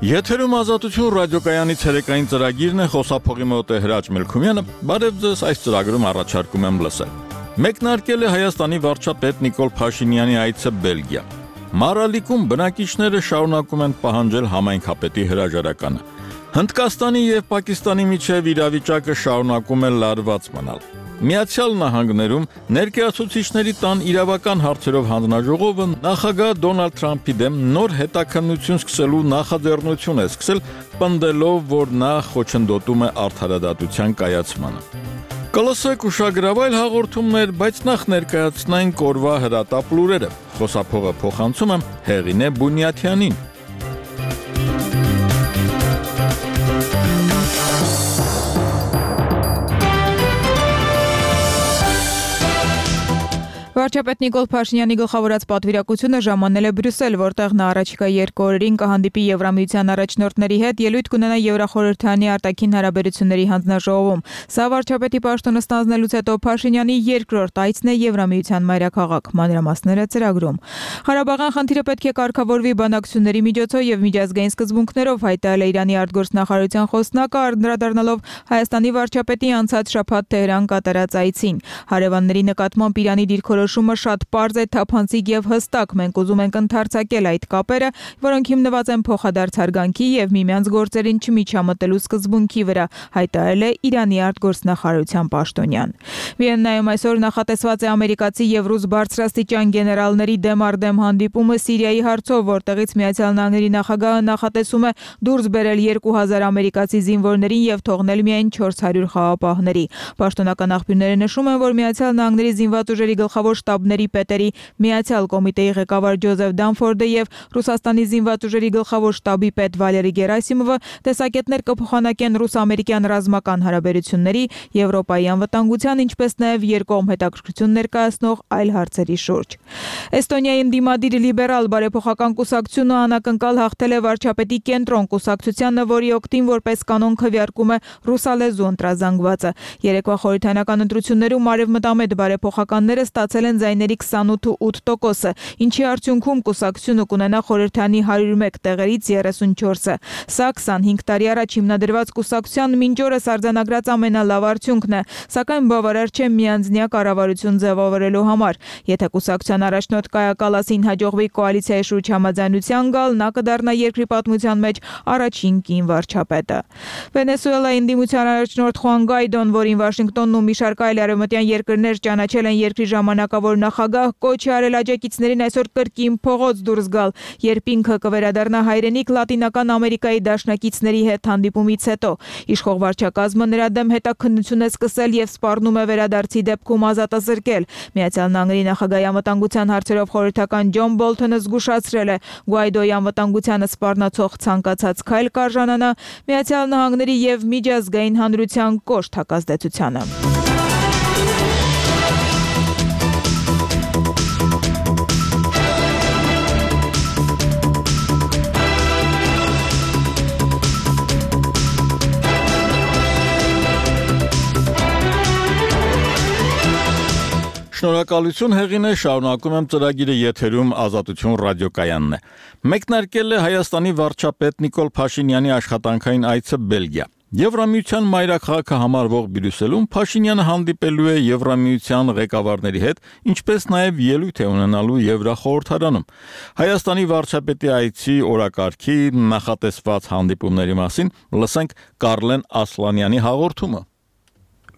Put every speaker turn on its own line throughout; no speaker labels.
Եթերում ազատություն ռադիոկայանի ցերեկային ծրագիրն է, խոսափողի մոտ է Հրաչ Մելքումյանը, բարև ձեզ, այս ծրագրում առաջարկում եմ լսել։ Մեկնարկել է Հայաստանի վարչապետ Նիկոլ Փաշինյանի այցը Բելգիա։ Մարալիկում բնակիչները շարունակում են պահանջել համայնքապետի հրաժարականը։ Հնդկաստանի եւ Պակիստանի միջև իրավիճակը շարունակում է լարված մնալ։ Միացյալ Նահանգներում ներկայացուցիչների տան իրավական հարցերով հանձնաժողովը նախագահ Դոնալդ Թրամփի դեմ նոր հետաքննություն սկսելու նախաձեռնություն է սկսել, պնդելով, որ նա խոչընդոտում է արդարադատության կայացմանը։ Կլսեք ուշագրավայր հաղորդումներ, բայց նախ ներկայացնենք օրվա հրատապ լուրերը։ Խոսափողը փոխանցում եմ Հեղինե Բունյաթյանին։
Վարչապետ Նիկոլ Փաշինյանի գլխավորած պատվիրակությունը ժամանել է Բրյուսել, որտեղ նա առաջիկա 2 օրերին կհանդիպի Եվրամիության առաջնորդների հետ, ելույթ կունենա Եվրախորհրդանի արտաքին հարաբերությունների հանձնաժողովում։ Սա վարչապետի պաշտոնը ստանձնելուց հետո Փաշինյանի երկրորդ այցն է Եվրամիության մայրաքաղաք, մանրամասները ծրագրում։ Ղարաբաղյան խնդիրը պետք է կարգավորվի բանակցությունների միջոցով եւ միջազգային սկզբունքներով, հայտարարել է Իրանի արտգործնախարարության խոսնակը, անդրադառնալով Հայաստանի վարչապետի անցած շաբաթ Թեհրան կատարած այցին։ Հարևանների նկատմամբ Իրանի դիրքորոշումը շատ պարզ է, թափանցիկ եւ հստակ։ Մենք ուզում ենք ընդարձակել այդ կապերը, որոնք հիմնված են փոխադարձ հարգանքի եւ միմյանց գործերին չմիջամտելու սկզբունքի վրա, հայտարարել է Իրանի արտգործնախարարության պաշտոնյան։ Վիեննայում այսօր նախատեսված է ամերիկացի եւ ռուս բարձրաստիճան գեներալների դեմ առ դեմ հանդիպումը Սիրիայի հարցով, որտեղից Միացյալ Նահանգների նախագահը նախատեսում է դուրս բերել 2000 ամերիկացի զինվորներին եւ թողնել միայն 400 խաղապահների։ Պաշտոնական աղբյուրները նշում են, որ Միացյալ Նահանգների զինված ուժերի գլխավոր շտաբների պետերի Միացյալ կոմիտեի ղեկավար Ջոզեֆ Դանֆորդը եւ Ռուսաստանի զինված ուժերի գլխավոր շտաբի պետ Վալերի Գերասիմովը տեսակետներ կփոխանակեն ռուս-ամերիկյան ռազմական հարաբերությունների, Եվրոպայի անվտանգության, ինչպես նաեւ երկկողմ հետաքրքրություն ներկայացնող այլ հարցերի շուրջ։ Էստոնիայի ընդդիմադիր լիբերալ բարեփոխական կուսակցությունը անակնկալ հաղթել է վարչապետի կենտրոն կուսակցությանը, որի օգտին որպես կանոն քվեարկում է ռուսալեզու ընտրազանգվածը։ Երեկվա խորհրդարանական ընտրություններում արևմտամետ բարեփոխականները ստացել են ձայների 28%, ինչի արդյունքում կուսակցությունը կունենա խորհրդանի 101 տեղերից 34-ը։ Սա 25 տարի առաջ հիմնադրված կուսակցության մինչ օրս արձանագրած ամենալավ արդյունքն է, սակայն բավարար չէ միանձնյա կառավարություն ձևավորելու համար։ Եթե կուսակցության առաջնորդ Կայա Կալասին հաջողվի կոալիցիայի շուրջ համաձայնության գալ, նա կդառնա երկրի պատմության մեջ առաջին կին վարչապետը։ Վենեսուելայի ընդդիմության առաջնորդ Խուան Գայդոն, որին Վաշինգտոնն ու մի շարք այլ արևմտյան երկրներ ճանաչել են երկրի ժամանակավոր նախագահ, կոչ է արել աջակիցներին այսօր կրկին փողոց դուրս գալ, երբ ինքը կվերադառնա հայրենիք Լատինական Ամերիկայի դաշնակիցների հետ հանդիպումից հետո։ Իշխող վարչակազմը նրա դեմ հետաքննություն է սկսել եւ սպառնում է վերադարձի դեպքում ազատազրկել։ Միացյալ Նահանգների նախագահի անվտանգության հարցերով խորհրդական Ջոն Բոլթոնը զգուշացրել է, Գուայդոյի անվտանգությանը սպառնացող ցանկացած քայլ կարժանանա Միացյալ Նահանգների եւ միջազգային հանրության կոշտ հակազդեցությանը։
Շնորհակալություն Հեղինե, շարունակում եմ ծրագիրը եթերում ազատություն ռադիոկայանն է։ Մեկնարկել է Հայաստանի վարչապետ Նիկոլ Փաշինյանի աշխատանքային այցը Բելգիա։ Եվրամիության մայրաքաղաքը համարվող Բրյուսելում Փաշինյանը հանդիպելու է Եվրամիության ղեկավարների հետ, ինչպես նաև ելույթ է ունենալու Եվրախորհրդարանում։ Հայաստանի վարչապետի այցի օրակարգի նախատեսված հանդիպումների մասին լսենք Կարլեն Ասլանյանի հաղորդումը։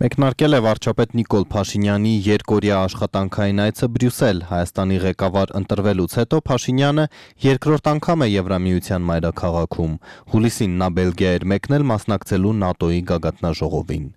Մեկնարկել է վարչապետ Նիկոլ Փաշինյանի երկօրյա աշխատանքային այցը Բրյուսել։ Հայաստանի ղեկավար ընտրվելուց հետո Փաշինյանը երկրորդ անգամ է Եվրամիության մայրաքաղաքում։ Հուլիսին նա Բելգիա էր մեկնել մասնակցելու ՆԱՏՕ-ի գագաթնաժողովին։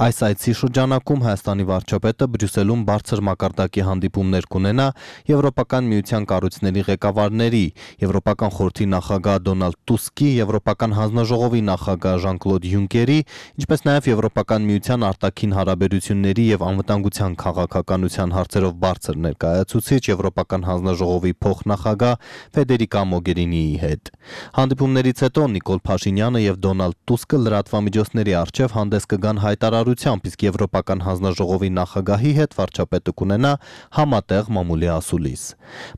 Այս այցի շրջանակում Հայաստանի վարչապետը Բրյուսելում բարձր մակարդակի հանդիպումներ կունենա Եվրոպական միության կառույցների ղեկավարների, Եվրոպական խորհրդի նախագահ Դոնալդ Տուսկի, Եվրոպական հանձնաժողովի նախագահ Ժան-Կլոդ Յունկերի, ինչպես նաև Եվրոպական միության արտաքին հարաբերությունների եւ անվտանգության քաղաքականության հարցերով բարձր ներկայացուցիչ Եվրոպական հանձնաժողովի փոխնախագահ Ֆեդերիկա Մոգերինիի հետ։ Հանդիպումներից հետո Նիկոլ Փաշինյանը եւ Դոնալդ Տուսկը լրատվամիջոցների առջեւ հանդես կգան հայտարարությամբ, իսկ Եվրոպական հանձնաժողովի նախագահի հետ վարչապետը կունենա համատեղ մամուլի ասուլիս։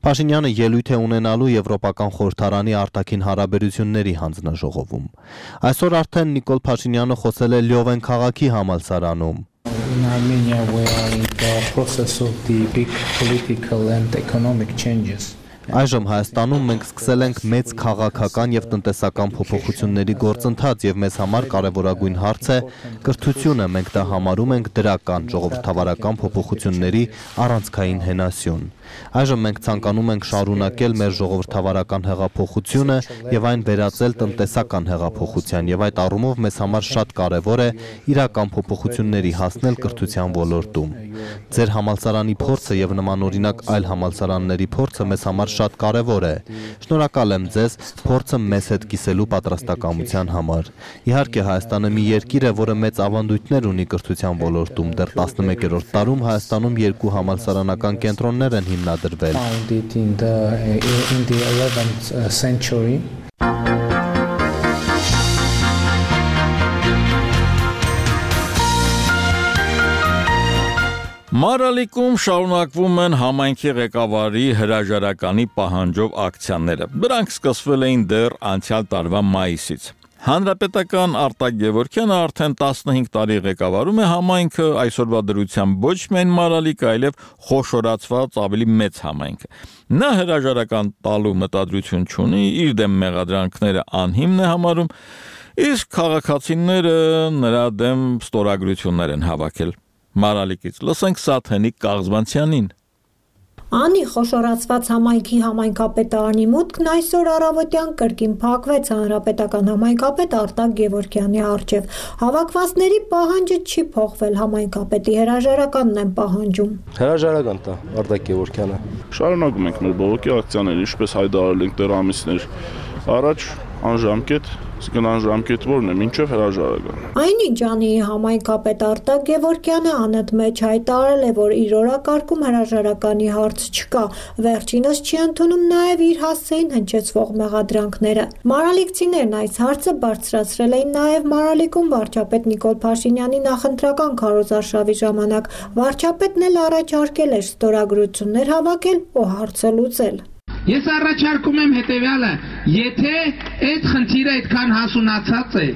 Փաշինյանը ելույթ է ունենալու Եվրոպական խորհրդարանի արտաքին հարաբերությունների հանձնաժողովում։ Այսօր արդեն Նիկոլ Փաշինյանը խոսել է Լյովեն քաղաքի համալսարանում։
In Armenia we are in the process of the big political and economic changes.
Այժմ Հայաստանում մենք սկսել ենք մեծ քաղաքական եւ տնտեսական փոփոխությունների գործընթաց եւ մեզ համար կարեւորագույն հարց է կրթությունը, մենք դա համարում ենք դրական ժողովրդավարական փոփոխությունների առանցքային հենասյուն։ Այժմ մենք ցանկանում ենք շարունակել մեր ժողովրդավարական հեղափոխությունը եւ այն վերածել տնտեսական հեղափոխության եւ այդ առումով մեզ համար շատ կարեւոր է իրական փոփոխությունների հասնել կրթության ոլորտում։ Ձեր համալսարանի փորձը եւ նմանօրինակ այլ համալսարանների փորձը մեզ համար շատ կարևոր է։ Շնորհակալ եմ ձեզ փորձը մեզ հետ կիսելու պատրաստակամության համար։ Իհարկե Հայաստանը մի երկիր է, որը մեծ ավանդույթներ ունի կրթության ոլորտում։ Դեռ 11-րդ դարում Հայաստանում 2 համալսարանական կենտրոններ են հիմնադրվել։
Founded in the 11th century.
Մարալիկում շարունակվում են համայնքի ղեկավարի հրաժարականի պահանջով ակցիաները։ Դրանք սկսվել էին դեռ անցյալ տարվա մայիսից։ Հանրապետական Արտակ Գևորգյանը արդեն 15 տարի ղեկավարում է համայնքը, այսօրվա դրությամբ ոչ միայն Մարալիկ, այլև խոշորացված ավելի մեծ համայնքը։ Նա հրաժարական տալու մտադրություն չունի, իր դեմ մեղադրանքները անհիմն է համարում, իսկ քաղաքացիները նրա դեմ ստորագրություններ են հավաքել։ Մարալիկից լսենք Սաթենիկ Կաղզվանցյանին։
Անի խոշորացված համայնքի համայնքապետարանի մուտքն այսօր առավոտյան կրկին փակվեց հանրապետական համայնքապետ Արտակ Գևորգյանի առջև։ Հավաքվածների պահանջը չի փոխվել, համայնքապետի հրաժարականն են պահանջում։
Հրաժարական տա Արտակ Գևորգյանը։
Շարունակում ենք մեր բողոքի ակցիաները, ինչպես հայտարարել ենք դեռ ամիսներ առաջ, անժամկետ, իսկ անժամկետ որն է, մինչև հրաժարական։
Այնինչ անի համայնքապետ Արտակ Գևորգյանը անընդմեջ հայտարարել է, որ իր օրակարգում հրաժարականի հարց չկա, վերջինս չի ընդունում նաև իր հասցեին հնչեցվող մեղադրանքները։ Մարալիկցիներն այս հարցը բարձրացրել էին նաև Մարալիկում վարչապետ Նիկոլ Փաշինյանի նախընտրական քարոզարշավի ժամանակ։ Վարչապետն էլ առաջարկել էր ստորագրություններ հավաքել ու հարցը լուծել։
Ես առաջարկում եմ հետևյալը, եթե այդ խնդիրը այդքան հասունացած է,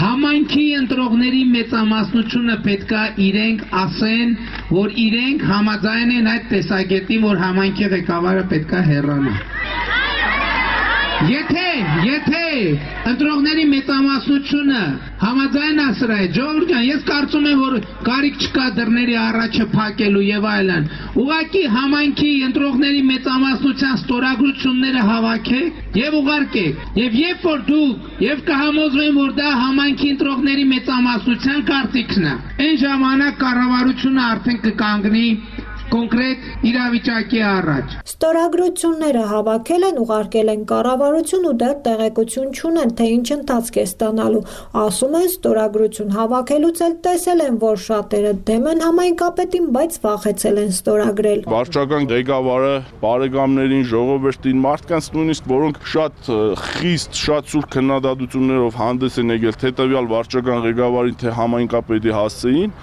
համայնքի ընտրողների մեծամասնությունը պետքա իրենք ասեն, որ իրենք համաձայն են այդ տեսակետին, որ համայնքի ղեկավարը պետքա հեռանա։ Եթե ընտրողների մեծամասնությունը համաձայն ասրա է, Ժողովուրդ ջան, ես կարծում եմ, որ կարիք չկա դռների առաջը փակելու եւ այլն։ Ուղղակի համայնքի ընտրողների մեծամասնության ստորագրությունները հավաքեք եւ ուղարկեք։ Եվ երբ որ դուք եւ կհամոզվեն, որ դա համայնքի ընտրողների մեծամասնության կարծիքն է, այն ժամանակ կառավարությունը արդեն կկանգնի կոնկրետ իրավիճակի առաջ։
Ստորագրությունները հավաքել են, ուղարկել են կառավարություն ու դեռ տեղեկություն չունեն, թե ինչ ընթացք է ստանալու։ Ասում են ստորագրություն հավաքելուց էլ տեսել են, որ շատերը դեմ են համայնքապետին, բայց վախեցել են ստորագրել։
Վարչական ղեկավարը բարեկամներին, ժողովրդին, մարդկանց նույնիսկ որոնք շատ խիստ, շատ սուր քննադատություններով հանդես են եկել թե տվյալ վարչական ղեկավարին, թե համայնքապետի հասցեին,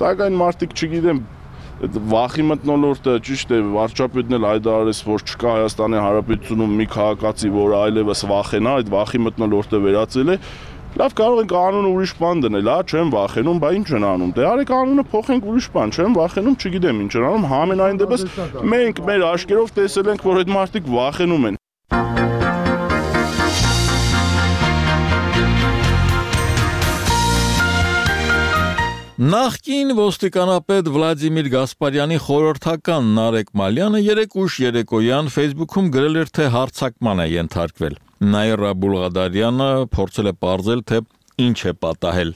սակայն մարդիկ չգիտեմ վախի մթնոլորտը ճիշտ է, վարչապետն էլ հայտարարեց, որ չկա Հայաստանի Հանրապետությունում մի քաղաքացի, որը այլևս վախենա, այդ վախի մթնոլորտը վերացել է։ Լավ, կարող ենք անունը ուրիշ բան դնել, չեմ վախենում, բա ինչ են անում։ Դե արեք անունը փոխենք ուրիշ բան, չեմ վախենում, չգիտեմ ինչ են անում, համենայն դեպս մենք մեր աչքերով տեսել ենք, որ այդ մարդիկ վախենում են։
Նախկին ոստիկանապետ Վլադիմիր Գասպարյանի խորհրդական Նարեկ Մալյանը երեկ ուշ երեկոյան Facebook-ում գրել էր, թե հարձակման է ենթարկվել։ Նաիրա Բուլղադարյանը փորձել է պարզել, թե ինչ է պատահել։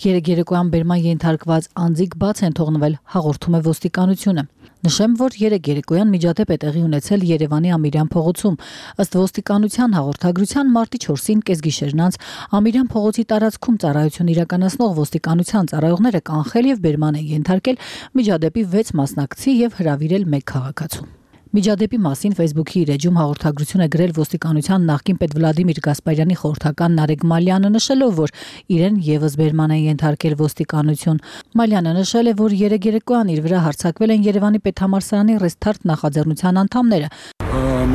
Երեկ երեկոյան բերման ենթարկված անձիկ բաց են թողնվել, հաղորդում է ոստիկանությունը։ Նշեմ, որ երեկ երեկոյան միջադեպ է տեղի ունեցել Երևանի Ամիրյան փողոցում։ Ըստ ոստիկանության հաղորդագրության մարտի 4-ին կեսգիշերն անց Ամիրյան փողոցի տարածքում ծառայություն իրականացնող ոստիկանության ծառայողները կանխել եւ բերման են ենթարկել միջադեպի 6 մասնակցի եւ հրավիրել 1 քաղաքացու։ Միջադեպի մասին Facebook-ի իր էջում հաղորդագրություն է գրել ոստիկանության նախկին պետ Վլադիմիր Գասպարյանի խորհրդական Նարեկ Մալյանը, նշելով, որ իրեն եւս բերման են ենթարկել ոստիկանություն։ Մալյանը նշել է, որ երեկ երեկոյան իր վրա հարձակվել են Երևանի պետհամալսարանի Ռեստարտ նախաձեռնության անդամները։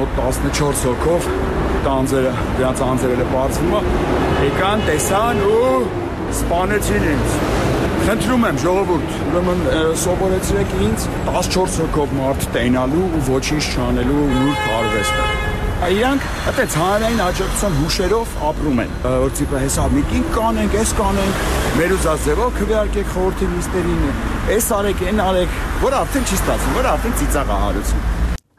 Մոտ 14 հոգով դրանց անձերը բացվում է, եկան, տեսան ու սպանեցին ինձ։ Խնդրում եմ ժողովուրդ, ուրեմն սովորեցրեք ինձ 14 հոգով մարդ տենալու ու ոչինչ չանելու նուրբ արվեստը։ Իրանք այդպես հանրային աջակցության հուշերով ապրում են, որ տիպը հեսա միտինգ կանենք, էս կանենք, մեր ուզած ձևով քվեարկեք խորհրդի նիստերին, էս արեք, այն արեք, որ արդեն չի ստացվում, որ արդեն ծիծաղահարություն։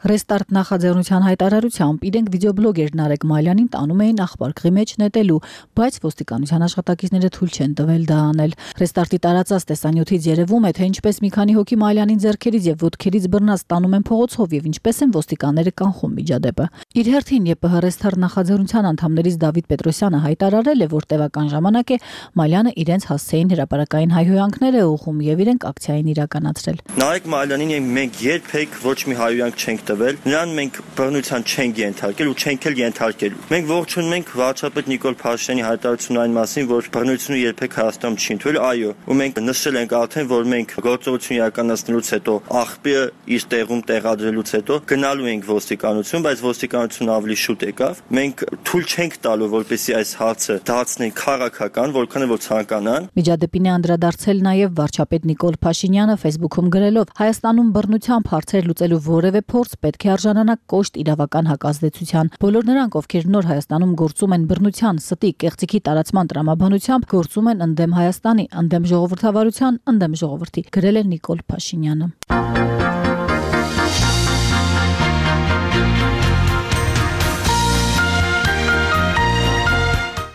Ռեստարտ նախաձեռնության հայտարարությամբ իրենք վիդեոբլոգեր Նարեկ Մալյանին տանում էին աղբարկղի մեջ նետելու, բայց ոստիկանության աշխատակիցները թույլ չեն տվել դա անել։ Ռեստարտի տարածած տեսանյութից երևում է, թե ինչպես մի քանի հոգի Մալյանին ձեռքերից եւ ոտքերից բռնած տանում են փողոցով եւ ինչպես են ոստիկանները կանխում միջադեպը։ Իր հերթին ԵՊՀ Ռեստարտ նախաձեռնության անդամներից Դավիթ Պետրոսյանը հայտարարել է, որ տևական ժամանակ է Մալյանը իրենց հասցեին հրապարակային հայհոյանքներ է ուղղում եւ իրենք ակցիային իրականացրել։
Նարեկ Մալյանին մենք երբեք ոչ մի հայհոյանք չենք Նրան մենք բռնության չենք ենթարկել ու չենք էլ ենթարկելու։ Մենք ողջունում ենք վարչապետ Նիկոլ Փաշինյանի հայտարարությունն այն մասին, որ բռնությունը երբեք Հայաստանում չի ընդունվել, այո, ու մենք նշել ենք արդեն, որ մենք գործողություն իրականացնելուց հետո աղբյուրը իր տեղում տեղադրելուց հետո գնալու ենք ոստիկանություն, բայց ոստիկանությունը ավելի շուտ եկավ։ Մենք թույլ չենք տալու, որպեսզի այս հարցը դարձնեն քաղաքական, որքան որ ցանկանան։
Միջադեպին է անդրադարձել նաև վարչապետ Նիկոլ Փաշինյանը Facebook-ում գրելով. Հայաստանում բռնությամբ հարցեր լուծելու որևէ փորձ պետք է արժանանա կոշտ իրավական հակազդեցության։ Բոլոր նրանք, ովքեր նոր Հայաստանում գործում են բռնության, ստի, կեղծիքի տարածման տրամաբանությամբ, գործում են ընդդեմ Հայաստանի, ընդդեմ ժողովրդավարության, ընդդեմ ժողովրդի, գրել է Նիկոլ Փաշինյանը։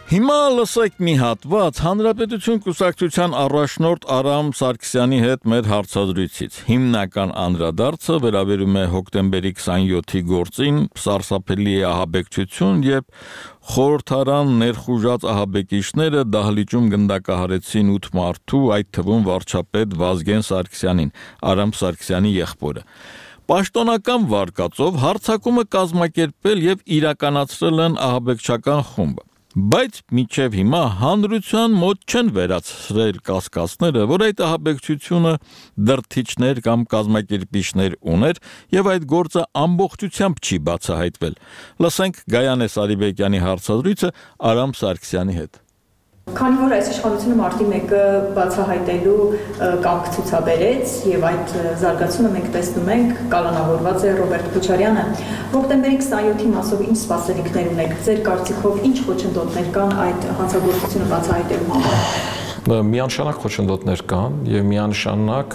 Հիմա լսեք մի հատված Հանրապետություն կուսակցության առաջնորդ Արամ Սարգսյանի հետ մեր հարցազրույցից։ Հիմնական անդրադարձը վերաբերում է հոկտեմբերի 27-ի գործին, սարսափելի է ահաբեկչություն, երբ խորհրդարան ներխուժած ահաբեկիչները դահլիճում գնդակահարեցին 8 մարդու, այդ թվում վարչապետ Վազգեն Սարգսյանին, Արամ Սարգսյանի եղբորը։ Պաշտոնական վարկածով հարձակումը կազմակերպել եւ իրականացրել են ահաբեկչական խումբը։ Բայց մինչև հիմա հանրության մոտ չեն վերացրել կասկածները, որ այդ ահաբեկչությունը դրթիչներ կամ կազմակերպիչներ ուներ եւ այդ գործը ամբողջությամբ չի բացահայտվել։ Լսենք Գայանե Սարիբեկյանի հարցազրույցը Արամ Սարգսյանի հետ։
Քանի որ այս իշխանությունը մարտի 1-ը բացահայտելու կամք ցուցաբերեց եւ այդ զարգացումը մենք տեսնում ենք, կալանավորված է Ռոբերտ Քոչարյանը։ Հոկտեմբերի 27-ի մասով ինչ սպասելիքներ ունեք։ Ձեր կարծիքով ինչ խոչընդոտներ կան այդ հանցագործությունը բացահայտելու համար։
Միանշանակ խոչընդոտներ կան եւ միանշանակ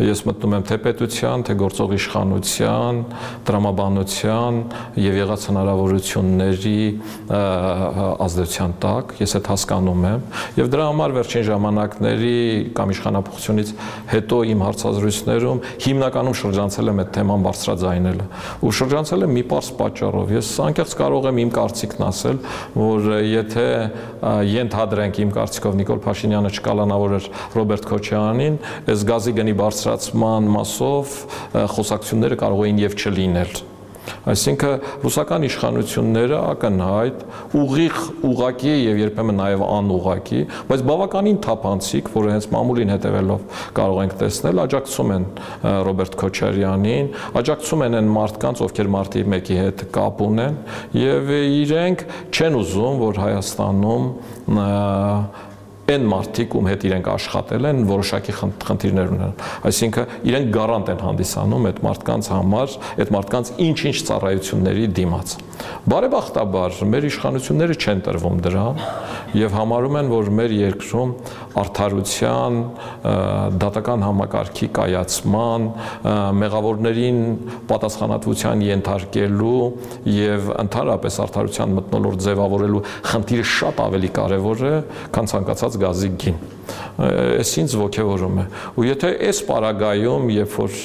ես մտնում եմ թե պետության, թե գործող իշխանության, տրամաբանության եւ եղած հնարավորությունների ազդեցության տակ, ես այդ հասկանում եմ եւ դրա համար վերջին ժամանակների կամ իշխանապողությունից հետո իմ հարցազրույցներում հիմնականում շրջանցել եմ այդ թեման բարձրաձայնելը ու շրջանցել եմ մի պարզ պատճառով։ Ես անկեղծ կարող եմ իմ կարծիքն ասել, որ եթե ենթադրենք իմ կարծիքով Նիկոլ Փաշինյանը չկալանավորեր Ռոբերտ Քոչարյանին, այս գազի գնի բարձրացման մասով խոսակցությունները կարող էին եւ չլինել։ Այսինքն ռուսական իշխանությունները ակնհայտ ուղիղ ուղակի եւ երբեմն նաեւ անուղակի, բայց բավականին թափանցիկ, որը հենց մամուլին հետևելով կարող ենք տեսնել, աջակցում են Ռոբերտ Քոչարյանին, աջակցում են այն մարդկանց, ովքեր մարտի 1-ի հետ կապ ունեն եւ իրենք չեն ուզում, որ Հայաստանում այն մարդիկ, ում հետ իրենք աշխատել են, որոշակի խնդիրներ ունեն։ Այսինքն իրենք գարանտ են հանդիսանում այդ մարդկանց համար, այդ մարդկանց ինչ-ինչ ծառայությունների դիմաց։ Բարեբախտաբար մեր իշխանությունները չեն տրվում դրան եւ համարում են, որ մեր երկրում արդարության, դատական համակարգի կայացման, մեղավորներին պատասխանատվության ենթարկելու եւ ընդհանրապես արդարության մթնոլորտ ձևավորելու խնդիրը շատ ավելի կարեւոր է, քան ցանկացած գազի գին։ Այս ինձ ոգևորում է։ Ու եթե այս պարագայում, երբ որ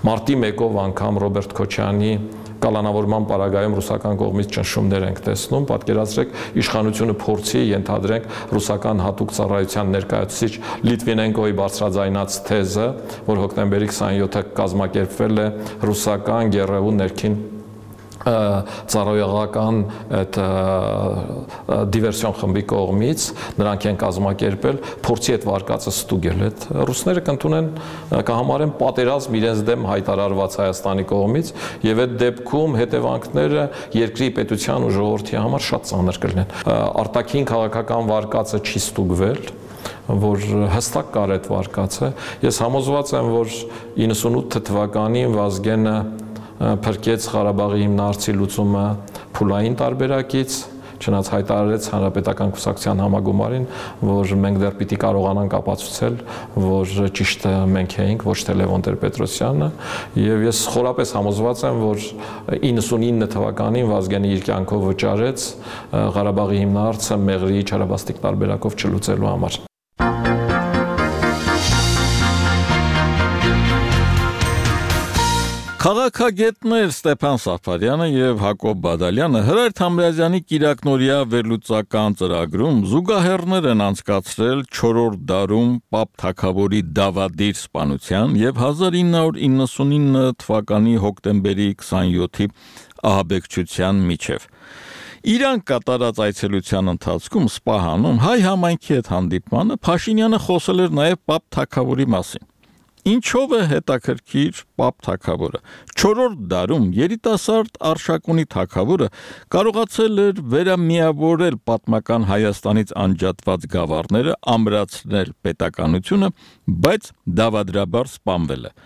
մարտի 1-ով անգամ Ռոբերտ Քոչյանի կալանավորման պարագայում ռուսական կողմից ճնշումներ ենք տեսնում, պատկերացրեք իշխանությունը փորձի ենթադրենք ռուսական հատուկ ծառայության ներկայացուցիչ Լիտվինենկոյի բարձրաձայնած թեզը, որ հոկտեմբերի 27-ը կազմակերպվել է ռուսական Գեռեու ներքին ծառայողական այդ դիվերսիոն խմբի կողմից նրանք են կազմակերպել փորձի այդ վարկածը ստուգել այդ ռուսները կընդունեն կհամարեն պատերազմ իրենց դեմ հայտարարված Հայաստանի կողմից եւ այդ դեպքում հետևանքները երկրի պետության ու ժողովրդի համար շատ ծանր կլինեն արտաքին քաղաքական վարկածը չի ստուգվել որ հստակ կար այդ վարկածը ես համոզված եմ որ 98 թվականին Վազգենը փրկեց Ղարաբաղի հիմնարցի լուծումը փուլային տարբերակից, չնայած հայտարարեց Հանրապետական կուսակցության համագումարին, որ մենք դեռ պիտի կարողանանք ապացուցել, որ ճիշտը մենք էինք, ոչ թե Լևոն Տեր-Պետրոսյանը, եւ ես խորապես համոզված եմ, որ 99 թվականին Վազգենը իր կյանքով վճարեց Ղարաբաղի հիմնարցը Մեղրիի չարաբաստիկ տարբերակով չլուծելու համար։
Քաղաքագետներ Ստեփան Սաֆարյանը եւ Հակոբ Բադալյանը Հրայր Թամրազյանի կիրակնորիա վերլուծական ծրագրում զուգահեռներ են անցկացրել 4-րդ դարում Պապ Թագավորի դավադիր սպանության եւ 1999 թվականի հոկտեմբերի 27-ի ահաբեկչության միջև։ Իրան կատարած այցելության ընթացքում Սպահանում հայ համայնքի հետ հանդիպմանը Փաշինյանը խոսել էր նաեւ Պապ Թագավորի մասին։ Ինչով է հետաքրքիր Պապ Թագավորը։ 4-րդ դարում երիտասարդ Արշակունի թագավորը կարողացել էր վերամիավորել պատմական Հայաստանից անջատված գավառները, ամրացնել պետականությունը, բայց դավադրաբար սպանվել է։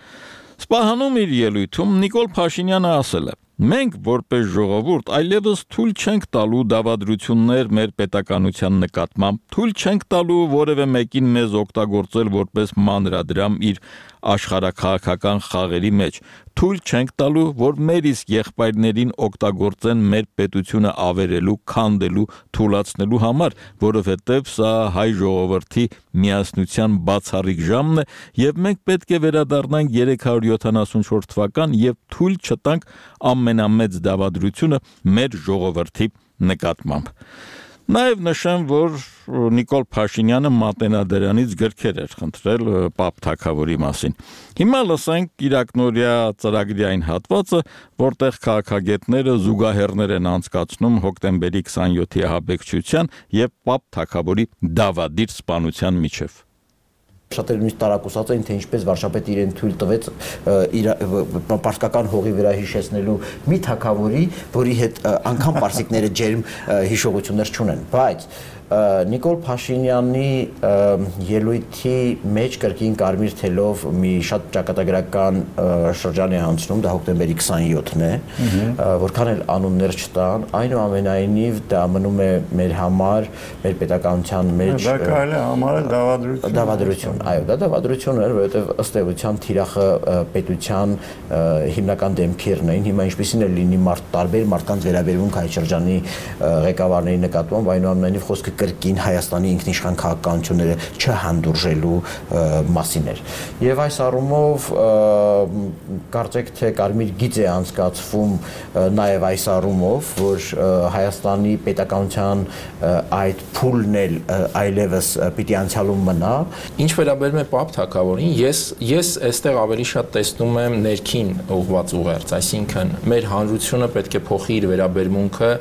Սպահանում իր ելույթում Նիկոլ Փաշինյանը ասել է. Մենք որպես ժողովուրդ այլևս թույլ չենք տալու դավադրություններ մեր պետականության նկատմամբ, թույլ չենք տալու որևէ մեկին մեզ օգտագործել որպես մանրադրամ իր աշխարհաքաղաքական խաղերի մեջ, թույլ չենք տալու, որ մեր իսկ եղբայրներին օգտագործեն մեր պետությունը ավերելու, քանդելու, թուլացնելու համար, որովհետև սա հայ ժողովրդի միասնության բացառիկ ժամն է, եւ մենք պետք է վերադառնանք 374 թվական եւ թույլ չտանք ամենամեծ դավադրությունը մեր ժողովրդի նկատմամբ։ Նաև նշեմ, որ Նիկոլ Փաշինյանը Մատենադարանից գրքեր էր խնդրել Պապ Թագավորի մասին։ Հիմա լսենք կիրակնորիա ծրագրի այն հատվածը, որտեղ քաղաքագետները զուգահեռներ են անցկացնում հոկտեմբերի 27-ի ահաբեկչության եւ Պապ Թագավորի դավադիր սպանության միջև։
Շատերը նույնիսկ տարակուսած էին, թե ինչպես վարչապետը իրեն թույլ տվեց իր պարսկական հողի վրա հիշեցնելու մի թագավորի, որի հետ անգամ պարսիկները ջերմ հիշողություններ չունեն, բայց Նիկոլ Փաշինյանի ելույթի մեջ կրկին կարմիր թելով մի շատ ճակատագրական շրջան է անցնում, դա հոկտեմբերի 27-ն է, որքան էլ անուններ չտան, այնուամենայնիվ դա մնում է մեր համար, մեր պետականության մեջ
դա կարելի է համարել դավադրություն,
այո, դա դավադրություն էր, որովհետև ըստ էության թիրախը պետության հիմնական դեմքերն էին, հիմա ինչպեսին է լինի տարբեր մարդկանց վերաբերմունք այդ շրջանի ղեկավարների նկատմամբ, այնուամենայնիվ խոսքը կրկին Հայաստանի ինքնիշխան քաղաքականությունները չհանդուրժելու մասին էր։ Եվ այս առումով կարծեք թե կարմիր գիծ է անցկացվում նաև այս առումով, որ Հայաստանի պետականության այդ փուլն էլ այլևս պիտի անցյալում մնա։
Ինչ վերաբերում է Պապ Թագավորին, ես այստեղ ավելի շատ տեսնում եմ ներքին ուղղված ուղերձ, այսինքն մեր հանրությունը պետք է փոխի իր վերաբերմունքը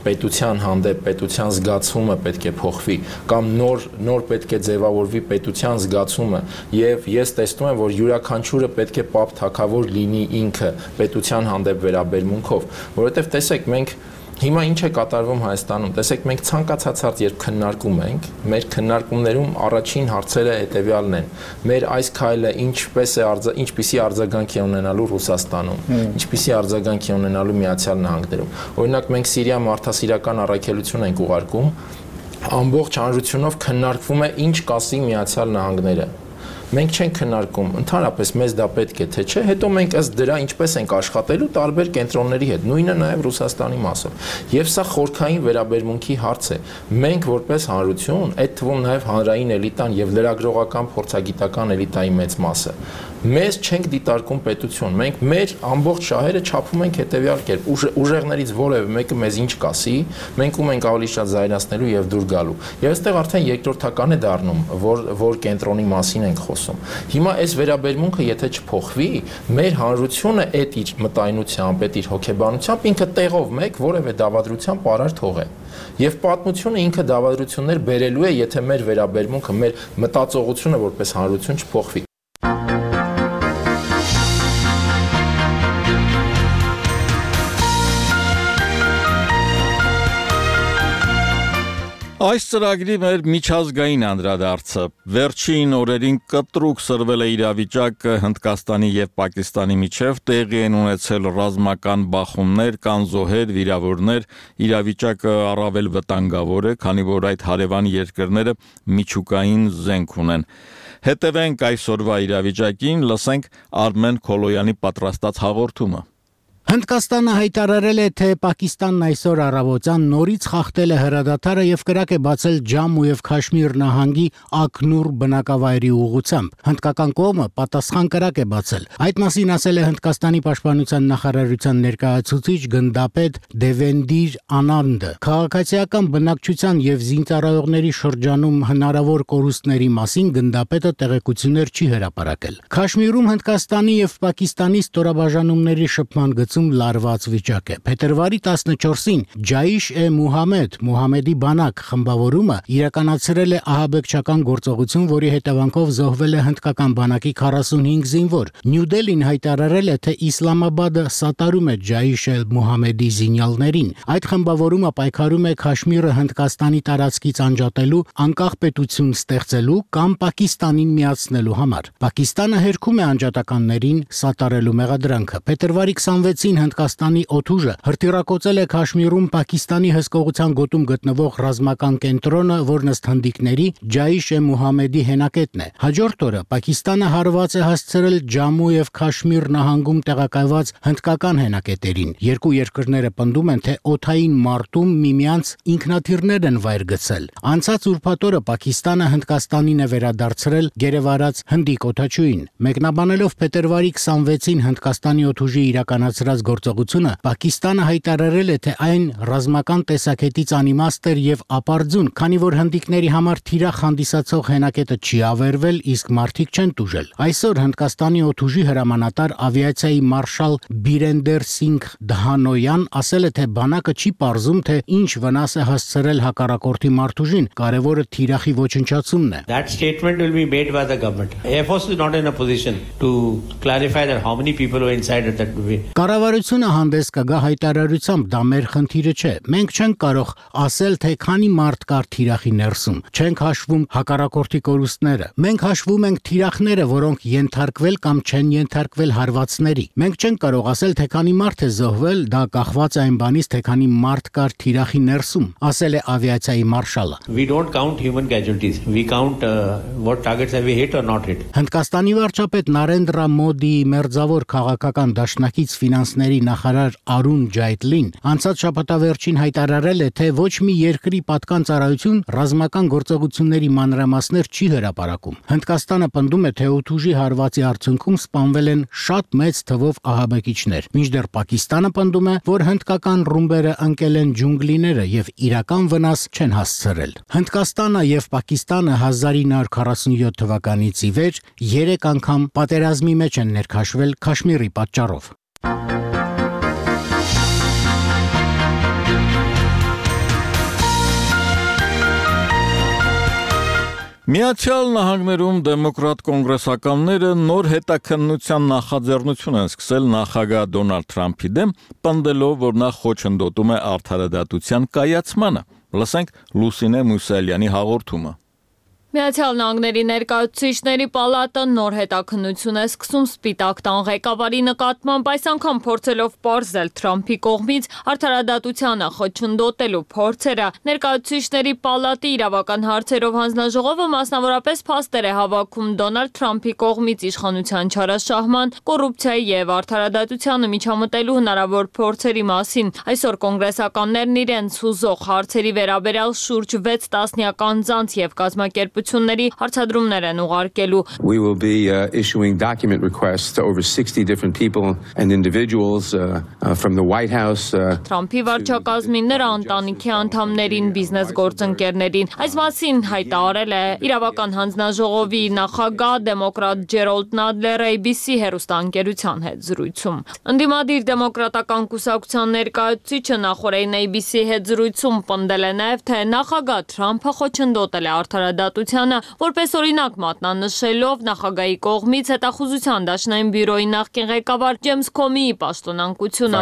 պետության հանդեպ, պետության զգացումը պետք է փոխվի կամ նոր պետք է ձևավորվի պետության զգացումը եւ ես տեսնում եմ որ յուրաքանչյուրը պետք է Պապ Թագավոր լինի ինքը պետության հանդեպ վերաբերմունքով, որովհետեւ տեսեք մենք հիմա ինչ է կատարվում Հայաստանում, տեսեք մենք ցանկացած հարց երբ քննարկում ենք, մեր քննարկումներում առաջին հարցերը հետեւյալն են. մեր այս քայլը ինչպիսի արձագանք է ունենալու Ռուսաստանում, ինչպիսի արձագանք է ունենալու Միացյալ Նահանգներում։ Օրինակ մենք Սիրիա մարդասիրական առաքելություն ենք ուղարկում, ամբողջ հանրությունով քննարկվում է ինչ կասի Միացյալ Նահանգները։ Մենք չենք քննարկում ընդհանրապես մեզ դա պետք է թե չէ, հետո մենք ըստ դրա ինչպես ենք աշխատելու տարբեր կենտրոնների հետ, նույնը նաև Ռուսաստանի մասով։ Եվ սա խորքային վերաբերմունքի հարց է։ Մենք որպես հանրություն, այդ թվում նաև հանրային էլիտան եւ լրագրողական փորձագիտական էլիտայի մեծ մասը, մեզ չենք դիտարկում պետություն։ Մենք մեր ամբողջ շահերը չափում ենք հետեւյալ կերպ. ուժեղներից որևէ մեկը մեզ ինչ կասի, մենք ում ենք ավելի շատ զայրացնելու եւ դուր գալու։ Եվ այստեղ արդեն երկրորդական է դառնում, որ կենտրոնի մասին ենք խոսում։ Հիմա այս վերաբերմունքը եթե չփոխվի, մեր հանրությունը այդ իր մտայնությամբ, այդ իր հոգեբանությամբ ինքը տեղով մեկ որևէ դավադրության պարար թողե։ Եվ պատմությունը ինքը դավադրություններ բերելու է, եթե մեր վերաբերմունքը, մեր մտածողությունը որպես հանրություն չփոխվի։
Այս ծրագրի մեր միջազգային անդրադարձը վերջին օրերին կտրուկ սրվել է իրավիճակը Հնդկաստանի եւ Պակիստանի միջև, տեղի են ունեցել ռազմական բախումներ, կան զոհեր, վիրավորներ, իրավիճակը առավել վտանգավոր է, քանի որ այդ հարևան երկրները միջուկային զենք ունեն։ Հետևենք այսօրվա իրավիճակին, լսենք Արմեն Քոլոյանի պատրաստած հաղորդումը։
Հնդկաստանը հայտարարել է, թե Պակիստանն այսօր առավոտյան նորից խախտել է հրադադարը եւ կրակ է բացել Ջամու եւ Քաշմիր նահանգի Ակնուր բնակավայրի ուղղությամբ։ Հնդկական կողմը պատասխան կրակ է բացել։ Այդ մասին ասել է Հնդկաստանի պաշտպանության նախարարության ներկայացուցիչ գնդապետ Դևենդիր Անանդը։ Քաղաքացիական բնակչության եւ զինծառայողների շրջանում հնարավոր կորուստների մասին գնդապետը տեղեկություններ չի հրապարակել։ Քաշմիրում Հնդկաստանի եւ Պակիստանի ստորաբաժանումների շփման լարված վիճակ է։ Փետրվարի 14-ին Ջայիշ-e-Մուհամեդ Մուհամեդի բանակ խմբավորումը իրականացրել է ահաբեկչական գործողություն, որի հետևանքով զոհվել է հնդկական բանակի 45 զինվոր։ Նյու Դելին հայտարարել է, թե Իսլամաբադը սատարում է Ջայիշ-e-Մուհամեդի զինյալներին։ Այդ խմբավորումը պայքարում է Քաշմիրը Հնդկաստանի տարածքից անջատելու, անկախ պետություն ստեղծելու կամ Պակիստանին միացնելու համար։ Պակիստանը հերքում է անջատականներին սատարելու մեղադրանքը։ Փետրվարի 26-ին Հնդկաստանի օդուժը հրթիռակոծել է Քաշմիրում Պակիստանի հսկողության գոտում գտնվող ռազմական կենտրոնը, որն ըստ հնդիկների Ջայիշ-e-Մուհամեդի հենակետն է։ Հաջորդ օրը Պակիստանը հարված է հասցրել Ջամու եւ Քաշմիր նահանգում տեղակայված հնդկական հենակետերին։ Երկու երկրները պնդում են, թե օդային մարտում միմյանց ինքնաթիռներ են վայր գցել։ Անցած ուրբաթ օրը Պակիստանը Հնդկաստանին է վերադարձրել գերեվարած հնդիկ օդաչուին։ Մեկնաբանելով փետրվարի 26-ին Հնդկաստանի օդուժի իրականացրած գործողությունը, Պակիստանը հայտարարել է, թե այն ռազմական տեսակետից անիմաստ էր եւ ապարդյուն, քանի որ հնդիկների համար թիրախ հանդիսացող հենակետը չի ավերվել, իսկ մարդիկ չեն տուժել։ Այսօր Հնդկաստանի օդուժի հրամանատար ավիացիայի մարշալ Բիրենդեր Սինգ Դհանոյան ասել է, թե բանակը չի պարզում, թե ինչ վնաս է հասցրել հակառակորդի մարդուժին, կարևորը թիրախի ոչնչացումն է։
That statement will be made by the government. Air Force is not in a position to clarify that how many people were inside at that movie.
Կառավարությունը հանդես կգա հայտարարությամբ, դա մեր խնդիրը չէ։ Մենք չենք կարող ասել, թե քանի մարդ կար թիրախի ներսում։ Չենք հաշվում հակառակորդի կորուստները։ Մենք հաշվում ենք թիրախները, որոնք ենթարկվել կամ չեն ենթարկվել հարվածների։ Մենք չենք կարող ասել, թե քանի մարդ է զոհվել, դա կախված է այն բանից, թե քանի մարդ կար թիրախի ներսում, ասել է ավիացիայի մարշալը։
We don't count human casualties. We count what targets have we hit or not hit.
Հնդկաստանի վարչապետ Նարենդրա Մոդիի մերձավոր քաղաքական դաշնակից ֆինանսների նախարար Արուն Ջայթլին անցած շաբաթավերջին հայտարարել է, թե ոչ մի երկրի պատկան ծառայություն ռազմական գործողությունների մանրամասներ չի հրապարակում։ Հնդկաստանը պնդում է, թե օդուժի հարվածի արդյունքում սպանվել են շատ մեծ թվով ահաբեկիչներ, մինչդեռ Պակիստանը պնդում է, որ հնդկական ռումբերը ընկել են ջունգլիները եւ իրական վնաս չեն հասցրել։ Հնդկաստանը եւ Պակիստանը 1947 թվականից ի վեր 3 անգամ պատերազմի մեջ են ներքաշվել Քաշմիրի պատճառով։
Միացյալ Նահանգներում դեմոկրատ կոնգրեսականները նոր հետաքննության նախաձեռնություն են սկսել նախագահ Դոնալդ Թրամփի դեմ, պնդելով, որ նա խոչընդոտում է արդարադատության կայացմանը։ Լսենք Լուսինե Մուսալյանի հաղորդումը։
Միացյալ Նահանգների ներկայացուցիչների պալատը նոր հետաքննություն է սկսում Սպիտակ տան ղեկավարի նկատմամբ, այս անգամ փորձելով պարզել Թրամփի կողմից արդարադատությանը խոչընդոտելու փորձերը։ Ներկայացուցիչների պալատի իրավական հարցերով հանձնաժողովը մասնավորապես փաստեր է հավաքում Դոնալդ Թրամփի կողմից իշխանության չարաշահման, կոռուպցիայի եւ արդարադատությանը միջամտելու հնարավոր փորձերի մասին։ Այսօր կոնգրեսականներն իրենց հուզող հարցերի վերաբերյալ շուրջ 6 տասնյակ անձանց եւ կազմակերպությունների հարցադրումներ են ուղարկելու։
We will be issuing document requests to over 60 different people and individuals from the White House.
Թրամփի վարչակազմին, նրա ընտանիքի անդամներին, բիզնես գործընկերներին։ Այս մասին հայտարարել է իրավական հանձնաժողովի նախագահ դեմոկրատ Ջերոլդ Նադլերը ABC հեռուստաընկերության հետ զրույցում։ Ընդդիմադիր դեմոկրատական կուսակցության ներկայացուցիչը նախորդին ABC հետ զրույցում պնդել է նաև, թե նախագահ Թրամփը խոչընդոտել է արդարադատությանը, որպես օրինակ մատնանշելով նախագահի կողմից հետախուզության դաշնային բյուրոյի նախկին ղեկավար Ջեյմս Քոմիի պաշտոնակությունը։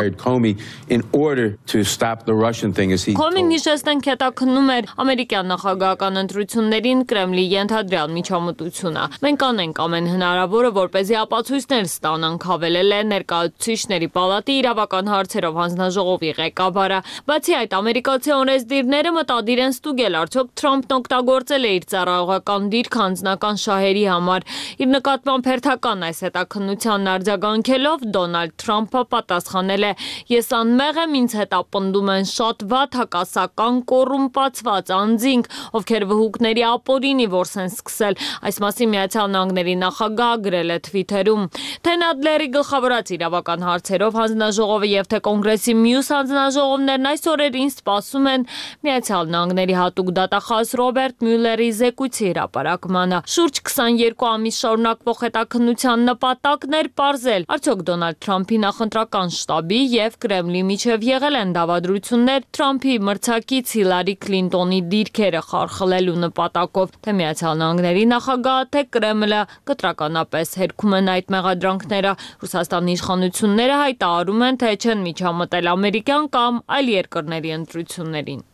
Քոմին հիշեցնենք հետաքննում էր ամերիկյան նախագահական ընտրություններին Կրեմլի ենթադրյալ միջամտությունը։ Մենք անենք ամեն հնարավորը, որպեսզի ապացույցներ ստանանք, հավելել է ներկայացուցիչների պալատի իրավական հարցերով հանձնաժողովի ղեկավարը։ Բացի այդ, ամերիկացի օրենսդիրները մտադիր են ստուգել, արդյոք Թրամփն օգտագործել է իր ծառայողական դիրք անձնական շահերի համար։ Իր նկատմամբ հերթական այս հետաքննությանն արձագանքելով Դոնալդ Թրամփը պատասխանել է. Ես անմեղ եմ, ինձ հետապնդում են շատ վատ հակասական կոռումպացված անձինք, ովքեր վհուկների ապօրինի որս են սկսել։ Այս մասին Միացյալ Նահանգների նախագահը գրել է Թվիթերում։ Թե Նադլերի գլխավորած իրավական հարցերով հանձնաժողովը եւ թե կոնգրեսի մյուս հանձնաժողովներն այս օրերին սպասում են Միացյալ Նահանգների հատուկ դատախազ Ռոբերտ Մյուլլերի զեկույցի հրապարակմանը։ Շուրջ 22 ամիս շարունակվող հետաքննության նպատակն էր պարզել, արդյոք Դոնալդ Թրամփի նախընտրական շտաբի եւ Կրեմլի միջև եղել են դավադրություններ Թրամփի մրցակից Հիլարի Քլինտոնի դիրքերը խարխլելու նպատակով, թե Միացյալ Նահանգների նախագահը, թե Կրեմլը կտրականապես հերքում են այդ մեղադրանքները։ Ռուսաստանի իշխանությունները հայտարարում են, թե չեն միջամտել ամերիկյան կամ այլ երկրների ընտրություններին։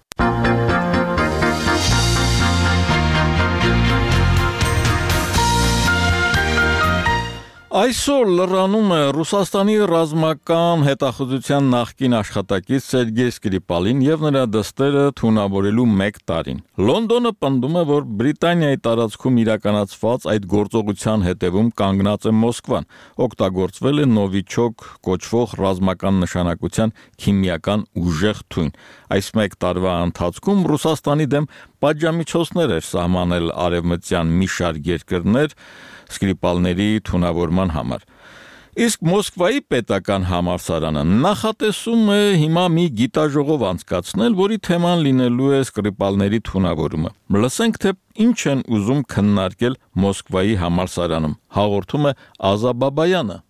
Այսօր լրանում է Ռուսաստանի ռազմական հետախուզության նախկին աշխատակից Սերգեյ Սկրիպալին եւ նրա դստերը թունավորելու 1 տարին։ Լոնդոնը պնդում է, որ Բրիտանիայի տարածքում իրականացված այդ գործողության հետևում կանգնած է Մոսկվան, օգտագործվել է Նովիչոկ կոչվող ռազմական նշանակության քիմիական ուժեղ թույն։ Այս 1 տարվա ընթացքում Ռուսաստանի դեմ պատժամիջոցներ էր սահմանել արևմտյան մի շարք երկրներ Սկրիպալների թունավորման համար։ Իսկ Մոսկվայի պետական համալսարանը նախատեսում է հիմա մի գիտաժողով անցկացնել, որի թեման լինելու է Սկրիպալների թունավորումը։ Լսենք, թե ինչ են ուզում քննարկել Մոսկվայի համալսարանում։ Հաղորդում է Ազա Բաբայանը։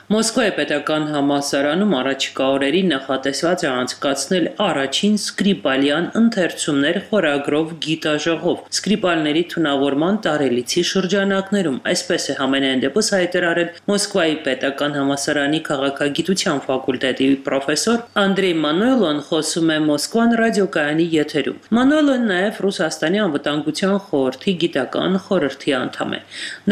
Մոսկվայի պետական համալսարանում առաջիկա օրերին նախատեսված է անցկացնել առաջին Սկրիպալյան ընթերցումներ խորագրով գիտաժողով Սկրիպալների թունավորման տարելիցի շրջանակներում, այսպես է համենայն դեպս հայտարարել Մոսկվայի պետական համալսարանի քաղաքագիտության ֆակուլտետի պրոֆեսոր Անդրեյ Մանուելոն, խոսում է Մոսկվան ռադիոկայանի եթերում։ Մանուելոն նաև Ռուսաստանի անվտանգության խորհրդի գիտական խորհրդի անդամ է։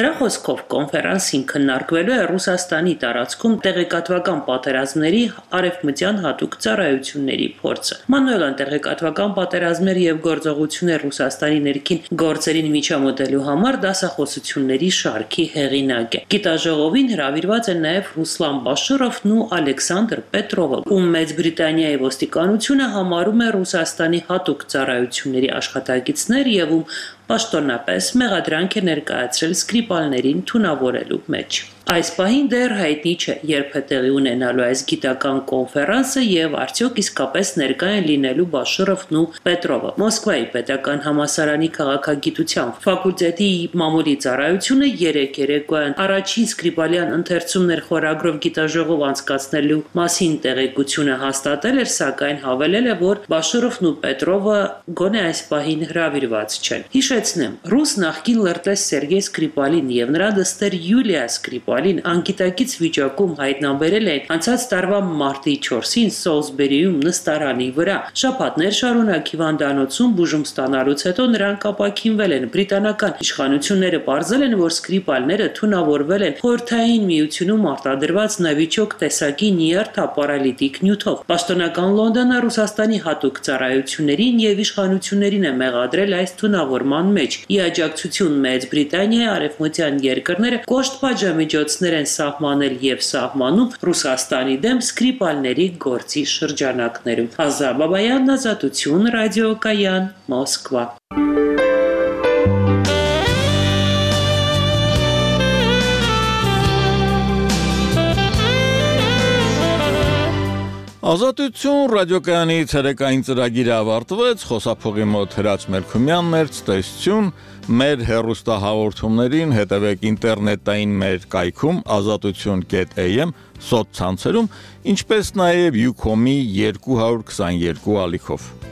Նրա խոսքով կոնֆերանսին քննարկվելու է Ռուսաստանի տարածքում տեղեկատվական պատերազմների արևմտյան հատուկ ծառայությունների փորձը։ Մանուելան տեղեկատվական պատերազմներ եւ գործողություններ Ռուսաստանի ներքին գործերին միջամտելու համար դասախոսությունների շարքի հեղինակ է։ Գիտաժողովին հրավիրված են նաև Ռուսլան Բաշիրովն ու Ալեքսանդր Պետրովը, ում Մեծ Բրիտանիայի ոստիկանությունը համարում է Ռուսաստանի հատուկ ծառայությունների աշխատակիցներ եւ ում պաշտոնապես մեղադրանք է ներկայացրել Սկրիպալներին թունավորելու մեջ։ Այս պահին դեռ հայտնի չէ, երբ է տեղի ունենալու այս գիտական կոնֆերանսը եւ արդյոք իսկապես ներկա են լինելու Բաշիրովն ու Պետրովը։ Մոսկվայի պետական համալսարանի քաղաքագիտության ֆակուլտետի մամուլի ծառայությունը երեկոյան առաջին Սկրիպալյան ընթերցումներ խորագրով գիտաժողով անցկացնելու մասին տեղեկությունը հաստատել էր, սակայն հավելել է, որ Բաշիրովն ու Պետրովը գոնե այս պահին հրավիրված չեն։ Հիշեցնեմ, ռուս նախկին լրտես Սերգեյ Սկրիպալին եւ նրա դստեր Յուլիա Սկրիպալին անկիտակից վիճակում հայտնաբերել են անցած տարվա մարտի 4-ին Սոլսբերիում նստարանի վրա։ Շաբաթներ շարունակ հիվանդանոցում բուժում ստանալուց հետո նրանք ապաքինվել են։ Բրիտանական իշխանությունները պարզել են, որ Սկրիպալները թունավորվել են Խորհրդային Միությունում արտադրված նավիճոկ տեսակի նյարդապարալիտիկ նյութով։ Պաշտոնական Լոնդոնը Ռուսաստանի հատուկ ծառայություններին եւ իշխանություններին է մեղադրել այս թունավորման մեջ։ Ի աջակցություն Մեծ Բրիտանիայի արևմտյան երկրները կոշտ պատժամիջոցներ են սահմանել եւ սահմանում Ռուսաստանի դեմ Սկրիպալների գործի շրջանակներում։ Ազա Բաբայան, Ազատություն, ռադիոկայան, Մոսկվա։
Ազատություն ռադիոկայանի ցերեկային ծրագիրը ավարտվեց, խոսափողի մոտ Հրաչ Մելքումյանն էր, ցտեսություն, մեր հեռուստահաղորդումներին հետևեք ինտերնետային մեր կայքում azatutun.am սոցցանցերում, ինչպես նաև Ucom-ի 222 ալիքով։